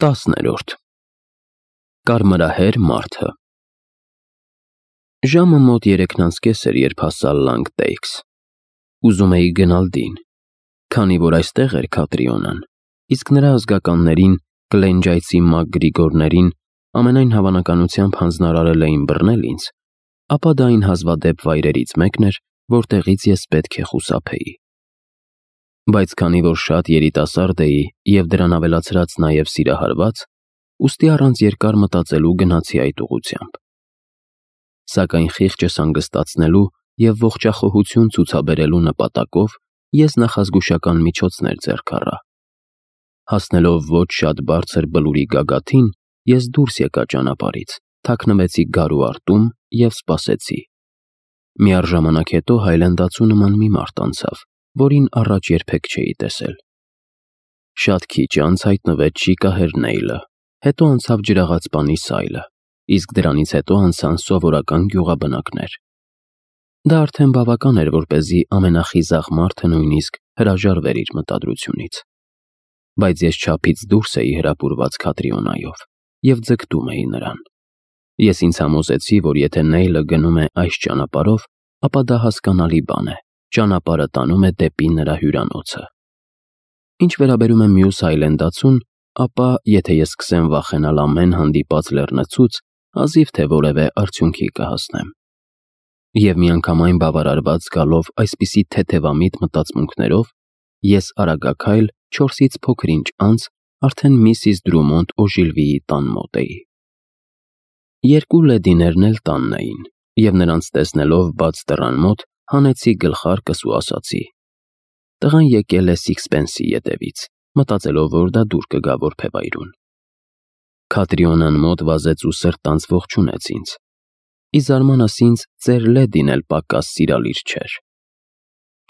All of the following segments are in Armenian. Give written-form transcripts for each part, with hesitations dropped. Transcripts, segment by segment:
10-րդ Կարմրահեր մարդը Ժամը մոտ 3:30 էր, երբ հասա Լանգտեյքս։ Ուզում էի գնալ դին, քանի որ այստեղ էր Քատրիոնան, իսկ նրա ազգականներին, կլենջայցի մակգրիգորներին ամենայն հավանականությամբ հանձնարարել էին բռնել ինձ, ապա դա այն հազվադեպ վայրերից մեկն էր, որտեղից ես պետք է խուսափեի։ Բայց քանի որ շատ երիտասարդ էի և դրան ավելացրած նաև սիրահարված, ուստի առանց երկար մտածելու գնացի այդ ուղղությամբ։ Սակայն խիղճս հանգստացնելու և ողջախոհություն ցուցաբերելու նպատակով ես նախազգուշական միջոցներ ձեռք առա։ Հասնելով ոչ շատ բարձր բլուրի գագաթին, ես դուրս եկա ճանապարհից, թաքնվեցի գարու արտում և սպասեցի։ Միառժամանակ հետո հայլանդացու նման մի մարդ անցավ, որին առաջ երբեք չէի տեսել։ Շատ քիչ անց հայտնվեց շիկահեր Նեյլը, հետո անցավ ջրաղացպանի Սայլը, իսկ դրանից հետո անցան սովորական գյուղաբնակներ։ Դա արդեն բավական էր, որպեսզի ամենախիզախ մարդը նույնիսկ հրաժարվեր իր մտադրությունից։ Բայց ես չափից դուրս էի հրապուրված Քատրիոնայով և ձգտում էի նրան։ Ես ինձ համոզեցի, որ եթե Նեյլը գնում է այս ճանապարհով, ապա դա հասկանալի բան է, ճանապարհը տանում է դեպի նրա հյուրանոցը։ Ինչ վերաբերում է մյուս հայլենդացուն, ապա եթե ես սկսեմ վախենալ ամեն հանդիպած լեռնցուց, հազիվ թե որևէ արդյունքի կհասնեմ։ Եվ միանգամայն բավարարված զգալով այսպիսի թեթևամիտ մտածմունքներով, ես արագաքայլ 4-ից փոքր-ինչ անց արդեն Միսիս Դրումոնդ Օժիլվիի տան մոտ էի։ Երկու լեդիներն էլ տանն էին, և նրանց տեսնելով բաց դռան մոտ, հանեցի գլխարկս ու ասացի. «Տղան եկել է Սիքսփենսի ետևից, մտածելով, որ դա դուր կգա որբևայրուն»։ Քատրիոնան մոտ վազեց ու սրտանց ողջունեց ինձ։ Ի զարմանս ինձ, ծեր լեդին էլ պակաս սիրալիր չէր։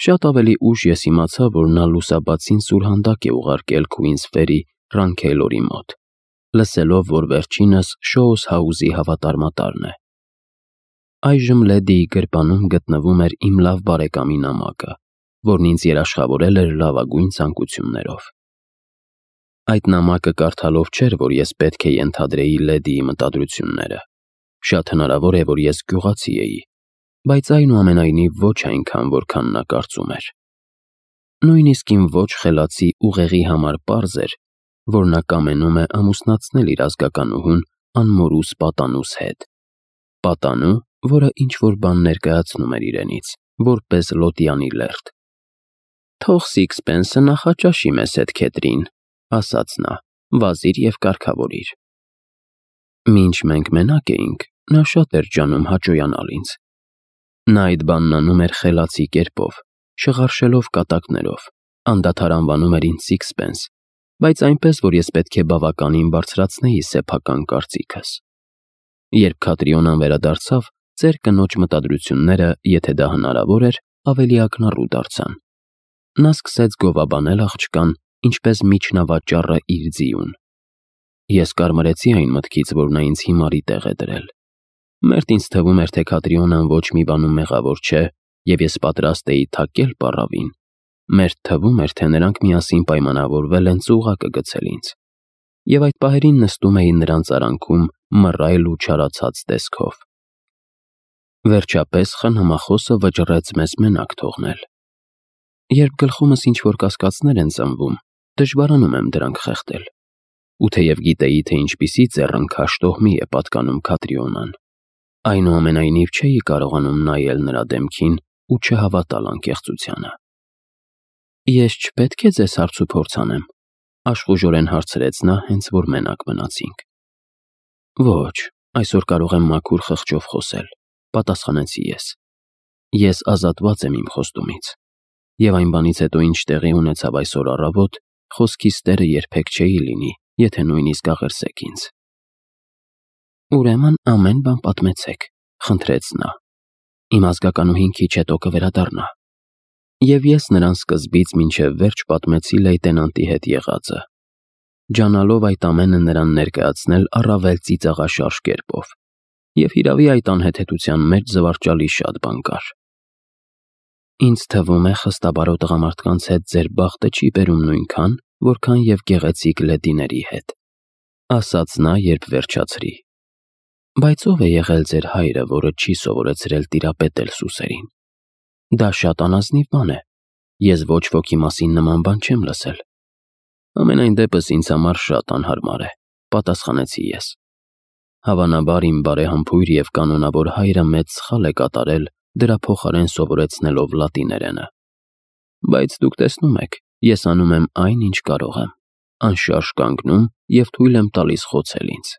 Շատ ավելի ուշ ես իմացա, որ նա լուսաբացին սուրհանդակ է ուղարկել Քուինսֆերի Ռանքեյլորի մոտ, լսելով, որ վերջինս Շոուս Հաուզի հավատարմատարն է։ Այժմ լեդիի գրպանում գտնվում էր իմ լավ բարեկամի նամակը, որն ինձ երաշխավորել էր լավագույն ցանկություններով։ Այդ նամակը կարդալով չէր, որ ես պետք է ենթադրեի լեդիի մտադրությունները։ Շատ հնարավոր է, որ ես գյուղացի էի, բայց այնուամենայնիվ ոչ այնքան, որքան նա կարծում էր։ Նույնիսկ իմ ոչ խելացի ուղեղի համար պարզ էր, որ նա կամենում է ամուսնացնել իր ազգականուհուն անմորուս պատանուս հետ։ Պատանու, որը ինչ-որ բան ներկայացնում էր իրենից, որպես լոտյանի լերդ։ «Թող Սիքսփենսը նախաճաշի մեզ հետ, Քեթրին», ասաց նա, «վազիր և կարգավորիր»։ Մինչ մենք մենակ էինք, նա շատ էր ջանում հաճոյանալ ինձ։ Նա այդ բանն անում էր խելացի կերպով, շղարշելով կատակներով, անդադար անվանում էր ինձ Սիքսփենս, բայց այնպես, որ ես պետք է բավականին բարձրացնեի սեփական կարծիքս։ Երբ Քատրիոնան վերադարձավ, ծեր կնոջ մտադրությունները, եթե դա հնարավոր էր, ավելի ակնառու դարձան։ Նա սկսեց գովաբանել աղջկան, ինչպես միջնավաճառը իր ձիուն։ Ես կարմրեցի այն մտքից, որ նա ինձ հիմարի տեղ է դրել։ Մերթ ինձ թվում էր, թե Քատրիոնան ոչ մի բանում մեղավոր չէ, և ես պատրաստ էի թակել պառավին։ Մերթ թվում էր, թե նրանք միասին պայմանավորվել են ծուղակը գցել ինձ։ Եվ այդ պահերին նստում էի նրանց արանքում մռայլ ու չարացած տեսքով։ Վերջապես խնամախոսը վճռեց մեզ մենակ թողնել։ Երբ գլխումս ինչ-որ կասկածներ են ծնվում, դժվարանում եմ դրանք խեղդել։ Ու թեև գիտեի, թե ինչպիսի ձեռնքաշ տոհմի է պատկանում Քատրիոնան, այնուամենայնիվ չէի կարողանում նայել նրա դեմքին ու չհավատալ անկեղծությանը։ «Ես չպետք է ձեզ հարցուփորձ անեմ», աշխուժորեն հարցրեց նա, հենց որ մենակ մնացինք։ «Ոչ, այսօր կարող եմ մաքուր խղճով խոսել», պատասխանեցի ես։ Ես ազատված եմ իմ խոստումից։ Եվ այն բանից հետո, ինչ տեղի ունեցավ այսօր առավոտ, խոսքիս տերը երբեք չէի լինի, եթե նույնիսկ աղերսեք ինձ։ «Ուրեմն ամեն բան պատմեցեք», խնդրեց նա։ «Իմ ազգականուհին քիչ հետո կվերադառնա»։ Եվ ես նրան սկզբից մինչև վերջ պատմեցի լեյտենանտի հետ եղածը, ջանալով այդ ամենը նրան ներկայացնել առավել ծիծաղաշարժ կերպով, և հիրավի այդ անհեթեթության մեջ զվարճալի շատ բան կար։ «Ինձ թվում է, խստաբարո տղամարդկանց հետ ձեր բախտը չի բերում նույնքան, որքան և գեղեցիկ լեդիների հետ», ասաց նա, երբ վերջացրի։ Բայց ով է եղել ձեր հայրը, որը չի սովորեցրել տիրապետել սուսերին։ Դա շատ անազնիվ բան է։ Ես ոչ ոքի մասին նման բան չեմ լսել։ Ամենայն դեպս ինձ համար շատ անհարմար է, պատասխանեցի ես։ Հավանաբար իմ բարեհամբույր և կանոնավոր հայրը մեծ սխալ է կատարել, դրա փոխարեն սովորեցնելով լատիներենը։ Բայց դուք տեսնում եք, ես անում եմ այն, ինչ կարող եմ, անշարժ կանգնում և թույլ եմ տալիս խոցել ինձ։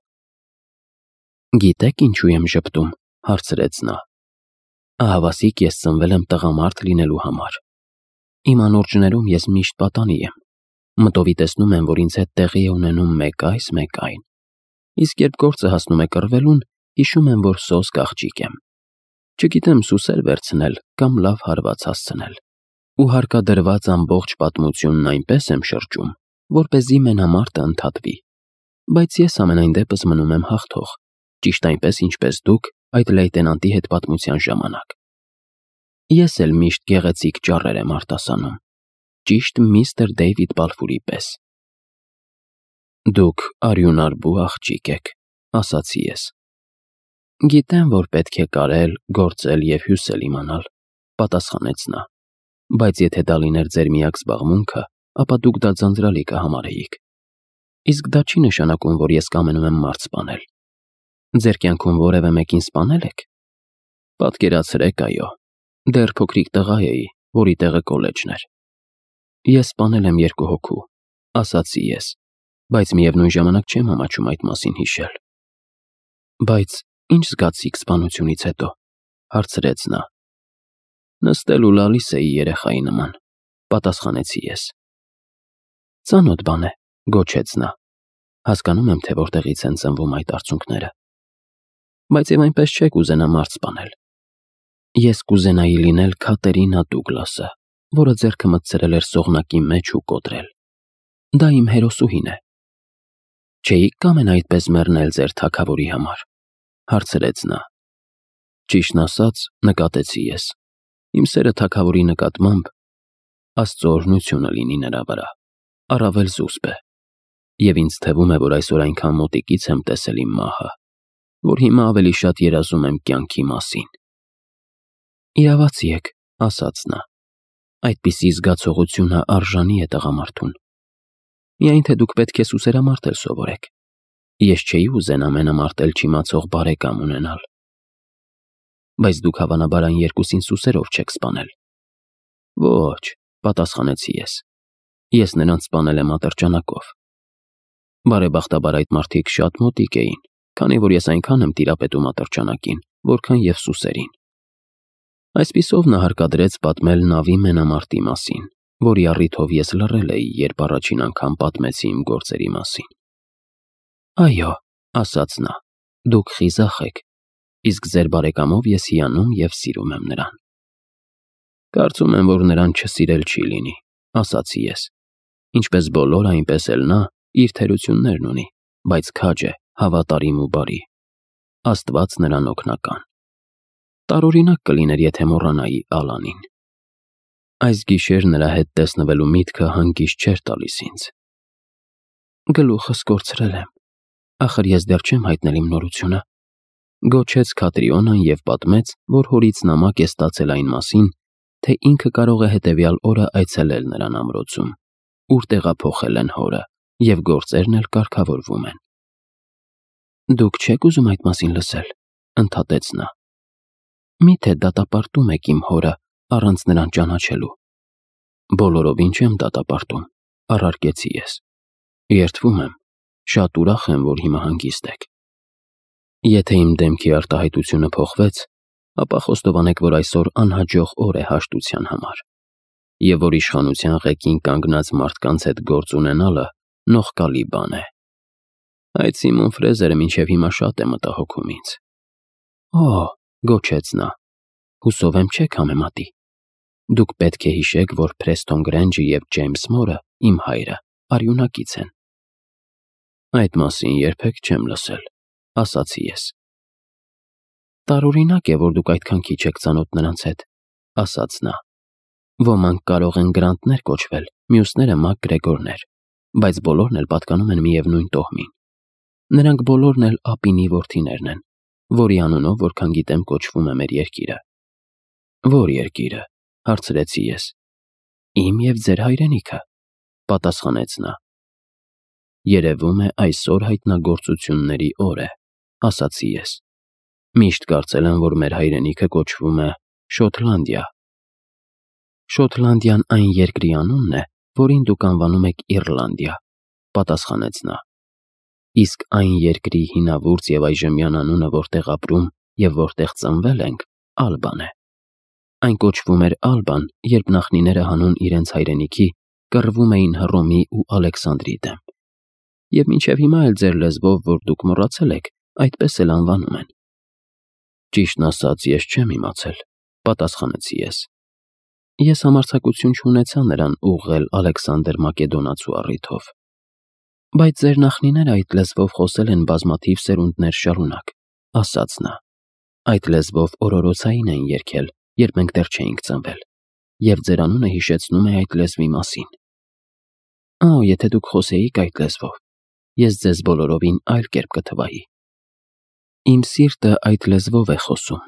Գիտեք ինչու եմ ժպտում, հարցրեց նա։ Ահավասիկ ես ծնվել եմ տղամարդ լինելու համար։ Իմ անորջներում ես միշտ պատանի եմ։ Մտովի տեսնում եմ, որ ինձ հետ տեղի է ունենում մեկ այս, մեկ այն։ Իսկ երբ գործը հասնում է կռվելուն, հիշում եմ, որ սոսկ աղջիկ եմ։ Չգիտեմ սուսեր վերցնել կամ լավ հարված հասցնել։ Ու հարկադրված ամբողջ պատմությունն այնպես եմ շրջում, որպեսզի մենամարտը ընդհատվի։ Բայց ես ամենայն դեպս մնում եմ հաղթող, ճիշտ այնպես, ինչպես դուք այդ լեյտենանտի հետ պատմության ժամանակ։ Ես էլ միշտ գեղեցիկ ճառեր եմ արտասանում, ճիշտ միստր Դեյվիդ Բալֆուրի պես։ Դուք արյունարբու աղջիկ եք, ասացի ես։ Գիտեմ, որ պետք է կարել, գործել և հյուսել իմանալ, պատասխանեց նա։ Բայց եթե դա լիներ ձեր միակ զբաղմունքը, ապա դուք դա ձանձրալի կհամարեիք։ Իսկ դա չի նշանակում, որ ես կամենում եմ մարդ սպանել։ Ձեր կյանքում որևէ մեկին սպանել եք։ Պատկերացրեք, այո։ Դեռ փոքրիկ տղա էի, որի տեղը կոլեջն էր։ Ես սպանել եմ 2 հոգու, ասացի ես, բայց միևնույն ժամանակ չեմ ամաչում այդ մասին հիշել։ Բայց ինչ զգացիք սպանությունից հետո, հարցրեց նա։ Նստել ու լալիս էի երեխայի նման, պատասխանեցի ես։ Ծանոթ բան է, գոչեց նա։ Հասկանում եմ, թե որտեղից են ծնվում այդ արցունքները։ Բայց եւ այնպես չեք ուզենա մարդ սպանել։ Ես կուզենայի լինել Քատերինա Դուգլասը, որը ձեռքը մտցրել էր սողնակի մեջ ու կոտրել։ Դա իմ հերոսուհին է։ Չէիք կամենա այդպես մեռնել ձեր թագավորի համար, հարցրեց նա։ Ճիշտն ասած, նկատեցի ես։ Իմ սերը թագավորի նկատմամբ Աստծո օրհնությունը լինի նրա վրա, առավել զուսպ է։ Եվ ինձ թվում է, որ այսօր այնքան մոտիկից եմ տեսել իմ մահը, որ հիմա ավելի շատ երազում եմ կյանքի մասին։ Իրավացի եք, ասաց նա։ Այդպիսի զգացողությունը արժանի է տղամարդուն։ Միայն թե դուք պետք է սուսերամարտել սովորեք։ Ես չէի ուզենա մենամարտել չիմացող բարեկամ ունենալ։ Բայց դուք հավանաբար այն երկուսին սուսերով չեք սպանել։ Ոչ, պատասխանեցի ես։ Ես նրանց սպանել եմ ատրճանակով։ Բարեբախտաբար այդ մարդիկ շատ մոտիկ էին, քանի որ ես այնքան եմ տիրապետում ատրճանակին, որքան և սուսերին։ Այսպիսով նա հարկադրեց պատմել նավի մենամարտի մասին, որի առիթով ես լռել էի, երբ առաջին անգամ պատմեցի իմ գործերի մասին։ Այո, ասաց նա, դուք խիզախ եք, իսկ ձեր բարեկամով ես հիանում և սիրում եմ նրան։ Կարծում եմ, որ նրան չսիրել չի լինի, ասացի ես։ Ինչպես բոլորը, այնպես էլ նա իր թերություններն ունի, բայց քաջ է, հավատարիմ ու բարի։ Աստված նրան օգնական։ Տարօրինակ կլիներ, եթե մոռանայի Ալանին։ Այս գիշեր նրա հետ տեսնվելու միտքը հանգիստ չէր տալիս ինձ։ Գլուխս կորցրել եմ։ Ախր ես դեռ չեմ հայտնել իմ նորությունը, գոչեց Քատրիոնան և պատմեց, որ հորից նամակ է ստացել այն մասին, թե ինքը կարող է հետևյալ օրը այցելել նրան ամրոցում, ուր տեղափոխել են հորը, և գործերն էլ կարգավորվում են։ Դուք չեք ուզում այդ մասին լսել, ընդհատեց նա։ Միթե դատապարտում եք իմ հորը առանց նրան ճանաչելու։ Բոլորովին չեմ դատապարտում, առարկեցի ես։ Երդվում եմ, շատ ուրախ եմ, որ հիմա հանգիստ եք։ Եթե իմ դեմքի արտահայտությունը փոխվեց, ապա խոստովանեք, որ այսօր անհաջող օր է հաշտության համար, և որ իշխանության ղեկին կանգնած մարդկանց հետ գործ ունենալը նողկալի բան է։ Այդ Սիմոն Ֆրեզերը մինչև հիմա շատ է մտահոգում ինձ։ Օ, գոչեց նա, հուսով եմ չեք համեմատի։ Դուք պետք է հիշեք, որ Փրեստոն Գրենջը և Ջեյմս Մորը, իմ հայրը, արյունակից են։ Այդ մասին երբեք չեմ լսել, ասացի ես։ Տարօրինակ է, որ դուք այդքան քիչ եք ծանոթ նրանց հետ, ասաց նա։ Ոմանք կարող են Գրանտներ կոչվել, մյուսները Մակ Գրեգորներ, բայց բոլորն էլ պատկանում են միևնույն տոհմին։ Նրանք բոլորն էլ Ապինի որդիներն են, որի անունով, որքան գիտեմ, կոչվում է մեր երկիրը։ Ո՞ր երկիրը, հարցրեցի ես։ Իմ և ձեր հայրենիքը, պատասխանեց նա։ Երևում է այսօր հայտնագործությունների օր է, ասացի ես։ Միշտ կարծել եմ, որ մեր հայրենիքը կոչվում է Շոտլանդիա։ Շոտլանդիան այն երկրի անունն է, որին դուք անվանում եք Իռլանդիա, պատասխանեց նա։ Իսկ այն երկրի հինավուրց և այժմյան անունը, որտեղ ապրում և որտեղ ծնվել ենք, Ալբան է։ Այն կոչվում էր Ալբան, երբ նախնիները հանուն իրենց հայրենիքի կռվում էին Հռոմի ու Ալեքսանդրի դեմ։ Եվ մինչև հիմա էլ ձեր լեզվով, որ դուք մոռացել եք, այդպես էլ անվանում են։ Ճիշտն ասած, ես չեմ իմացել, պատասխանեցի ես։ Ես համարձակություն չունեցա նրան ուղղել Ալեքսանդր Մակեդոնացու առիթով։ Բայց ձեր նախնիները այդ լեզվով խոսել են բազմաթիվ սերունդներ շարունակ, ասաց նա։ Այդ լեզվով օրորոցային են երգել, երբ մենք դեռ չէինք ծնվել, և ձեր անունը հիշեցնում է այդ լեզվի մասին։ Եթե դուք խոսեիք այդ լեզվով, ես ձեզ բոլորովին այլ կերպ կթվայի։ Իմ սիրտը այդ լեզվով է խոսում,